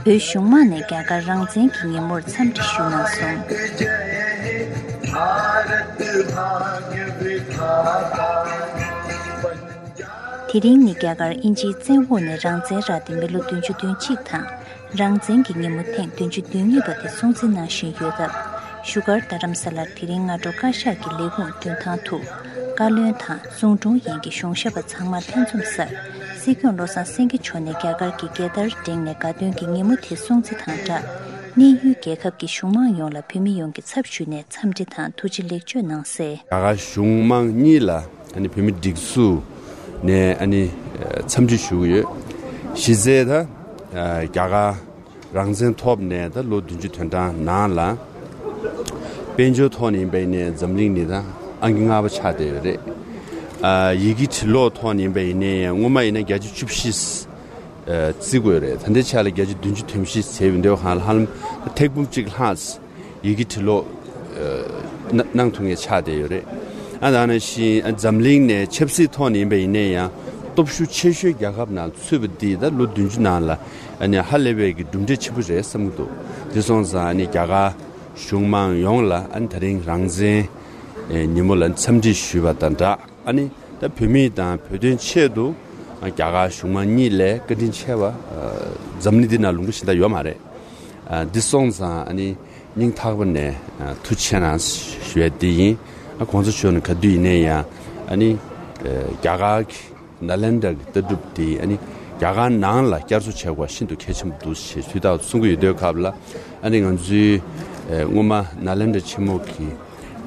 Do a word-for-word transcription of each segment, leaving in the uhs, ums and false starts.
བོད་གཞུང་མང་ནས་རྒྱ་གར་རང་བཙན་གྱི་ཉིན་མོར་འཚམས་འདྲི་ཞུས་གནང་སོང་། དེ་རིང་ནི་རྒྱ་གར་དབྱིན་ཇིའི་བཙན་འོག་ནས་རང་བཙན་རག་སྟེ་མི་ལོ་བདུན་ཅུ་དོན་གཅིག་དང་། རང་བཙན་གྱི་ཉིན་མོ་ཐེངས་བདུན་ཅུ་དོན་གཉིས་པ་དེ་སྲུང་བརྩི་གནང་བཞིན་ཡོད་སྟབས། བཞུགས་སྒར་རྡ་རམ་ས་ལར་དེ་རིང་སྔ་དྲོ་བཀའ་ཤག་གི་ལས་ཁུངས་མདུན་ཐང་དུ། བཀའ་བློན་དང་གསུང་དྲུང་ཡན་གྱི་གཞུང་ཞབས་པ་ཚང་མ་ལྷན་འཛོམས་སར། སྲིད་སྐྱོང་བློ་བཟང་སེང་གེ་མཆོག་ནས་རྒྱ་གར་གྱི་རྒྱལ་དར་བསྒྲེངས་ནས་དགའ་སྟོན་གྱི་ཉིན་མོ་དེ་སྲུང་བརྩི་དང་སྦྲགས། གནས་ཡུལ་རྒྱལ་ཁབ་ཀྱི་གཞུང་མང་ཡོངས་ལ་བོད་མི་ཡོངས་ཀྱི་ཚབ་ཞུས་ནས་འཚམས་འདྲི་དང་ཐུགས་རྗེ་ལེགས་བརྗོད་གནང་གསལ། རྒྱ་གར་གཞུང་མང་གཉིས་ལ་ཨ་ནི་བོད་མི་སྒྲིག་འཛུགས་ནས་ཨ་ནི་འཚམས་འདྲི་ཞུ་གི་ཡོད། གཞི་རྩའི་ད་རྒྱ་གར་རང་བཙན་ཐོབ་ནས་ད་ལོ་བདུན་ཅུ་དོན་གྲངས་ནང་ལ་དཔལ་འབྱོར་ཐོག་ནས་ཡིན་པ་ཡིན་ནའི་འཛམ་གླིང་ནི་ད་ཨང་ཀི་ལྔ་པ་ཆགས་བསྡད་ཡོད་རེད། ཡི་གེ་འབྲི་ཀློག་ཐོག་ནས་ཡིན་པ་ཡིན་ནའི་སྔོན་མ་ཡིན་ན་བརྒྱ་ཆ་བཅུ་བཞི་བརྩི་དགོས་རེད། ད་ལྟའི་ཆ་ལ་བརྒྱ་ཆ་བདུན་ཅུ་དོན་བཞི་བྱས་ཡོད་འདུག་ག་ཧ་ལམ་ཐེར་འབུམ་གཅིག་ལྷག་ཡི་གེ་འབྲི་ཀློག་གནང་ཐུབ་མཁན་ཆགས་བསྡད་ཡོད་རེད། ཨ་ད་ནང་བཞིན་འཛམ་གླིང་ནས་ཆབ་སྲིད་ཐོག་ནས་ཡིན་པ་ཡིན་ནའི་ཡང་སྟོབས་ཤུགས་ཆེ་ཤོས་རྒྱལ་ཁབ་ནང་ཚུད་པ་འདི་ད་ལོ་བདུན་ཅུ་ནང་ལ་ཨ་ནི་ཧ་ལས་པའི་གི་གྲུབ་འབྲས་ཆེན་པོ་རེད་བསམ་གྱི་འདུག་དེ་སོང་ཙང་ཨ་ནི་རྒྱ་གར་གཞུང་མང་ཡོངས་ལ་ཨ་ནི་དེ་རིང་རང་བཙན་ཉིན་མོ་ལ་འཚམས་འདྲི་ཞུས་པ་དང་སྦྲགས། ཨ་ནི་ད་བོད་མི་དང་བོད་དོན་ཆེད་དུ་རྒྱ་གར་གཞུང་མང་གཉིས་ལས་བཀའ་དྲིན་ཆེ་བ་འཛམ་གླིང་འདི་ན་ལུང་པ་གཞན་དག་ཡོད་མ་རེད། འདི་སོང་ཙང་ཨ་ནི་སྙིང་ཐག་པ་ནས་ཐུགས་རྗེ་ཆེ་གནང་ཞུ་ཡ་འདི་ཡིན། གོང་ས་མཆོག་ནས་ག་དུས་ཡིན་ནའི་ཡང་ཨ་ནི་རྒྱ་གར་གྱི་ནཱ་ལེནྡྲ་གི་ལྟ་གྲུབ་འདི་ཨ་ནི་རྒྱ་གར་ནང་ལ་བསྐྱར་གསོ་བྱེད་དགོས་ཤིན་ཏུ་གལ་ཆེན་པོ་འདུག་ཞེས་དུས་རྟག་ཏུ་གསུང་གི་ཡོད་དུས་སྐབས་ལ་ཨ་ནི་ང་ཚོའི་སྔོན་མ་ནཱ་ལེནྡྲ་ཆེན་མོ་གི་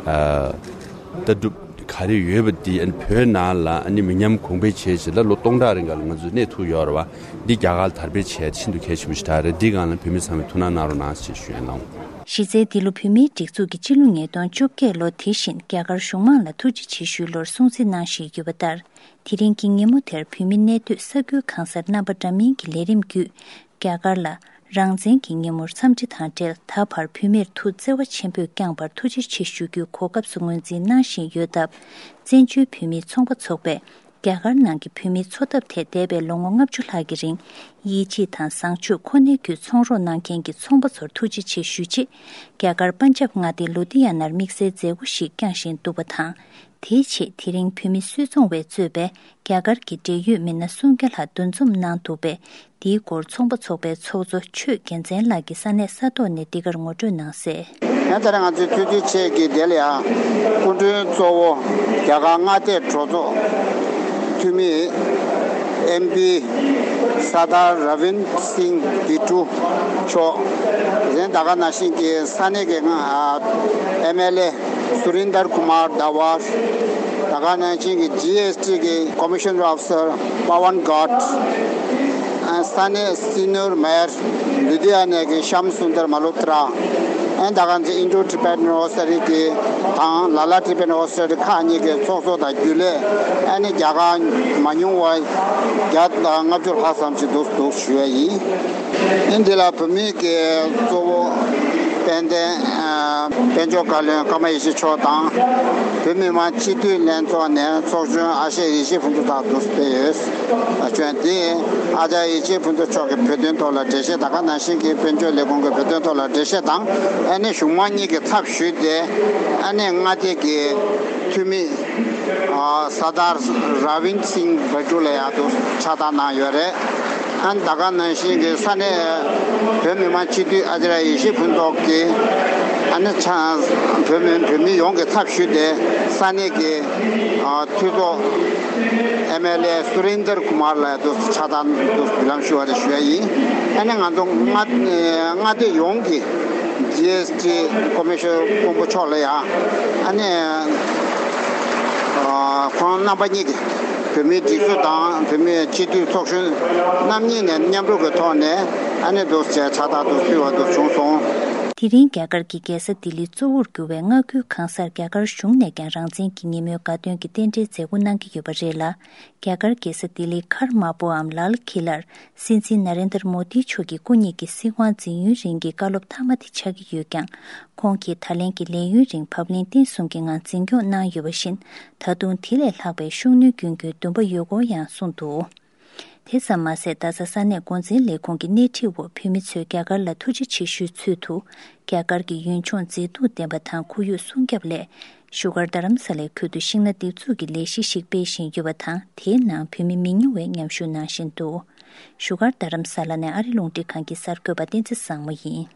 ལྟ་གྲུབ་ག་རེ་ཡོད་པ་འདི་ཨ་ནི་བོད་ནང་ལ་ཨ་ནི་མི་ཉམས་གོང་འཕེལ་བྱས་བྱས་ལ་ལོ་སྟོང་ཕྲག་རིང་ག་ལ་ང་ཚོས་གནས་ཐུབ་ཡོད་རེད་བ། འདི་རྒྱ་གར་ལ་དར་སྤེལ་བྱས་ཤིན་ཏུ་གལ་ཆེན་པོ་ཞིག་རེད། འདི་སྒང་ལ་བོད་མི་ཚང་མས་ཐུགས་སྣང་གནང་རོགས་གནང་ཞེས་ཞུ་ཡ་གནང་། གཞི་རྩའི་འདི་ལོ་བོད་མིའི་སྒྲིག་འཛུགས་ཀྱི་སྤྱི་ལོ་ཉིས་སྟོང་བཅོ་བརྒྱད་ལོ་དེ་བཞིན་རྒྱ་གར་གཞུང་མང་ལ་ཐུགས་རྗེ་ཆེ་ཞུའི་ལོར་སྲུང་བརྩི་གནང་བཞིན་ཡོད་པ་ལྟར། དེ་རིང་གི་ཉིན་མོ་དེར་བོད་མི་གནས་སྡོད་ས་ཁུལ་གང་སར་རྣམ་པ་འདྲ་མིན་གྱི་ལས་རིམ་བརྒྱུད། རྒྱ་གར་ལ་རང་བཙན་གྱི་ཉིན་མོར་འཚམས་འདྲི་དང་འབྲེལ་ད་བར་བོད་མིར་ཐུགས་བརྩེ་བ་ཆེན་པོས་བསྐྱངས་པར་ཐུགས་རྗེ་ཆེ་ཞུ་རྒྱུའི་གོ་སྐབས་སུ་ངོས་འཛིན་གནང་བཞིན་ཡོད་སྟབས། བཙན་བྱོལ་བོད་མིའི་ཚོང་པ་ཚོགས་པས་རྒྱ་གར་ནང་གི་བོད་མིའི་འཚོ་ཐབས་ཐད་འདས་པའི་ལོ་ངོ་ལྔ་བཅུ་ལྷག་གི་རིང་ཡིད་ཆེས་དང་བཟང་སྤྱོད་ཁོ་ནའི་བརྒྱུད་ཚོང་རོགས་གནང་མཁན་གྱི་ཚོང་པ་ཚོར་ཐུགས་རྗེ་ཆེ་ཞུ་ཆེད། རྒྱ་གར་པན་ཇབ་མངའ་སྡེའི་ལུ་དི་ཡ་ནར་དམིགས་བསལ་མཛད་སྒོ་ཞིག་བསྐྱངས་བཞིན་འདུག་པ་དང་། དེའི་ཆེད་དེ་རིང་བོད་མི་སུད་ཚོང་བས་གཙོས་པའི་རྒྱ་གར་གྱི་འབྲེལ་ཡོད་མི་སྣ་སུམ་བརྒྱ་ལྷག་འདུ་འཛོམས་གནང་འདུག་པས། དེའི་སྐོར་ཚོང་པ་ཚོགས་པའི་ཚོགས་གཙོ་ཆོས་རྒྱལ་མཚན་ལགས་ཀྱིས་ས་གནས་ས་ཐོག་ནས་འདི་གར་ངོ་སྤྲོད་གནང་གསལ། ཡང་ད་རེས་ང་ཚོའི་ཐུགས་རྗེ་ཆེ་གི་དེ་ལ་ཡང་སྐུ་མགྲོན་གཙོ་བོ་རྒྱ་གར་མངའ་སྡེ་གྲོས་ཚོགས་འཐུས་མི་ཨེམ་པི་སར་དར་ར་བིན་སིང་བི་ཀྲུ་མཆོག་གཞན་ད་ག་ནང་བཞིན་གྱི་ས་གནས་ཀྱི་ཨེམ་ཨེལ་ཨེ་སུ་རིན་དར་ཀུ་མར་དཱ་ཝར། ད་ག་ནང་བཞིན་གྱི་ཇི་ཨེས་ཊི་གི་ཀོ་མི་ཤན་ཨོ་ཕི་སར་པ་ཝན་གྷོཊ། ཨ་ས་གནས་སི་ནུར་མེར་ལུ་དྷི་ཡ་ན་གི་ཤམ་སུན་དར་མ་ལོ་ཏྲ། ཨ་ད་ག་ནང་བཞིན་ཨིན་ཌོ་ཊི་བེ་ཊན་ཨོ་ས་རི་གི་དང་ལ་ལ་ཊི་བེ་ཊན་ཨོ་ས་རི་ཁག་གཉིས་ཀྱི་ཚོགས་གཙོ་དང་རྒྱུན་ལས་ཨ་ནི་རྒྱ་གར་མ་ཉུང་བ་བརྒྱ་དང་ལྔ་བཅུ་ལྷག་ཙམ་ཞིག་འདུག་འདུག་ཞུ་བ་ཡིན། ཨིན་དེ་ལ་བོད་མིའི་གི་གཙོ་བོ་དཔལ་ལྡན་ཨ་དཔལ་འབྱོར་བཀའ་བློན་ཀརྨ་ཡེ་ཤེས་མཆོག་དང་། བོད་མི་མང་སྤྱི་འཐུས་ལྷན་ཚོགས་ནས་ཚོགས་གཞོན་ཨ་ཤེ་ཡེ་ཤེས་ཕུན་ཚོགས་ལགས་འདུག་སེ་ཕེབས་ཡོད། ཨ་བྱོན་དེ་ཨ་ཅར་ཡེ་ཤེས་ཕུན་ཚོགས་མཆོག་གི་བོད་དོན་ཐོག་ལ་འགྲེལ་བཤད་དང་། ག་ནང་བཞིན་གྱི་དཔལ་འབྱོར་ལས་ཁུངས་ཀྱི་བོད་དོན་ཐོག་ལ་འགྲེལ་བཤད་དང་། ཨ་ནི་གཞུང་མང་གཉིས་ཀྱི་ཚབ་ཞུས་ཏེ་ཨ་ནི་མངའ་སྡེ་གི་འཐུས་མི་ཨ་སར་དར་ར་བིན་སིང་བི་ཀྲུ་ལ་ཡང་དུ་ཕྱག་བསྟར་གནང་ཡོད་རེད། ཨ་ནི་ད་ག་ནང་བཞིན་གྱི་ས་གནས་བོད་མི་མང་སྤྱི་འཐུས་ཨ་ཅར་ཡེ་ཤེས་ཕུན་ཚོགས་ཀྱིས་ཨ་ནི་ཆ་བོད་མི་བོད་མི་ཡོངས་ཀྱི་ཚབ་ཞུས་ཏེ་ས་གནས་ཀྱི་ཨ་འཐུས་ཚོགས་ཨེམ་ཨེལ་ཨེ་སུ་རིན་དར་ཀུ་མར་ལ་དུ་ཕྱག་བསྟར་དུ་འབུལ་ལམ་ཞུ་བ་རེ་ཞུ་ཡ་ཡིན། ཨ་ནི་ང་ཚོ་མངའ་མངའ་སྡེ་ཡོངས་ཀྱི་ཇི་ཨེས་ཊི་ཀོ་མི་ཤོ་ནར་དཔོན་པོ་མཆོག་ལ་ཡང་ཨ་ནི་ཨ་ཁོང་རྣམ་པ་གཉིས་ཀྱིས་བོད་མིའི་སྒྲིག་འཛུགས་དང་བོད་མིའི་སྤྱི་འཐུས་ཚོགས་གཞོན་རྣམ་གཉིས་ནས་མཉམ་རུབ་ཀྱི་ཐོག་ནས་ཨ་ནི་འདུག་ཟེར་ཕྱག་རྟགས་འདུག་ཕུལ་བ་འདུག་བྱུང་སོང་། དེ་རིང་རྒྱ་གར་གྱི་རྒྱལ་ས་ལྡི་ལི་གཙོ་བོར་གྱུར་བའི་མངའ་ཁུལ་གང་སར་རྒྱ་གར་གཞུང་ནས་ཀྱང་རང་བཙན་གྱི་ཉིན་མོའི་དགའ་སྟོན་གྱི་རྟེན་འབྲེལ་མཛད་སྒོ་གནང་གི་ཡོད་པ་རེད་ལ། རྒྱ་གར་རྒྱལ་ས་ལྡི་ལིའི་མཁར་དམར་པོའམ་ལཱལ་ཁི་ལར་སྲིད་འཛིན་ན་རེན་དར་མོ་དི་མཆོག་གི་སྐུ་ཉིད་ཀྱི་སྲིད་དབང་འཛིན་ཡུན་རིང་གི་བཀའ་སློབ་མཐའ་མ་དེ་ཆགས་ཀྱི་ཡོད་ཀྱང་། ཁོང་གིས་ད་ལན་གྱི་ལས་ཡུན་རིང་བབ་བརླིང་བརྟན་གསུམ་གྱི་ངང་འཛིན་སྐྱོང་གནང་ཡོད་པ་བཞིན། ད་དུང་དེ་ལས་ལྷག་པའི་ཤུགས་སྣོན་སྐྱོན་རྒྱུའི་འདུན་པ་ཡོད་སྐོར་ཡང་གསུངས་འདུག་དེ་ཙམ་མ་ཟད། རྡ་ས་ས་གནས་འགོ་འཛིན་ལས་ཁུངས་ཀྱི་སྣེ་ཁྲིད་འོག་བོད་མི་ཚོས་རྒྱ་གར་ལ་ཐུགས་རྗེ་ཆེ་ཞུའི་ཚུལ་དུ། རྒྱ་གར་གྱི་ཡུལ་ལྗོངས་མཛེས་སྡུག་ལྡན་པ་དང་ཁོར་ཡུག་སྲུང་སྐྱོབ་སླད། བཞུགས་སྒར་རྡ་རམ་ས་ལའི་ཁུལ་དུ་ཤིང་སྣ་འདེབས་འཛུགས་ཀྱི་ལས་གཞི་ཞིག་སྤེལ་བཞིན་ཡོད་པ་དང་། དེའི་ནང་བོད་མི་མི་ཉུང་བས་མཉམ་ཞུགས་གནང་བཞིན་འདུག། བཞུགས་སྒར་རྡ་རམ་ས་ལ་ནས་ཨ་རི་རླུང་འཕྲིན་ཁང་གི་གསར་འགོད་པ་བསྟན་འཛིན་བཟང་མོ་ཡིན།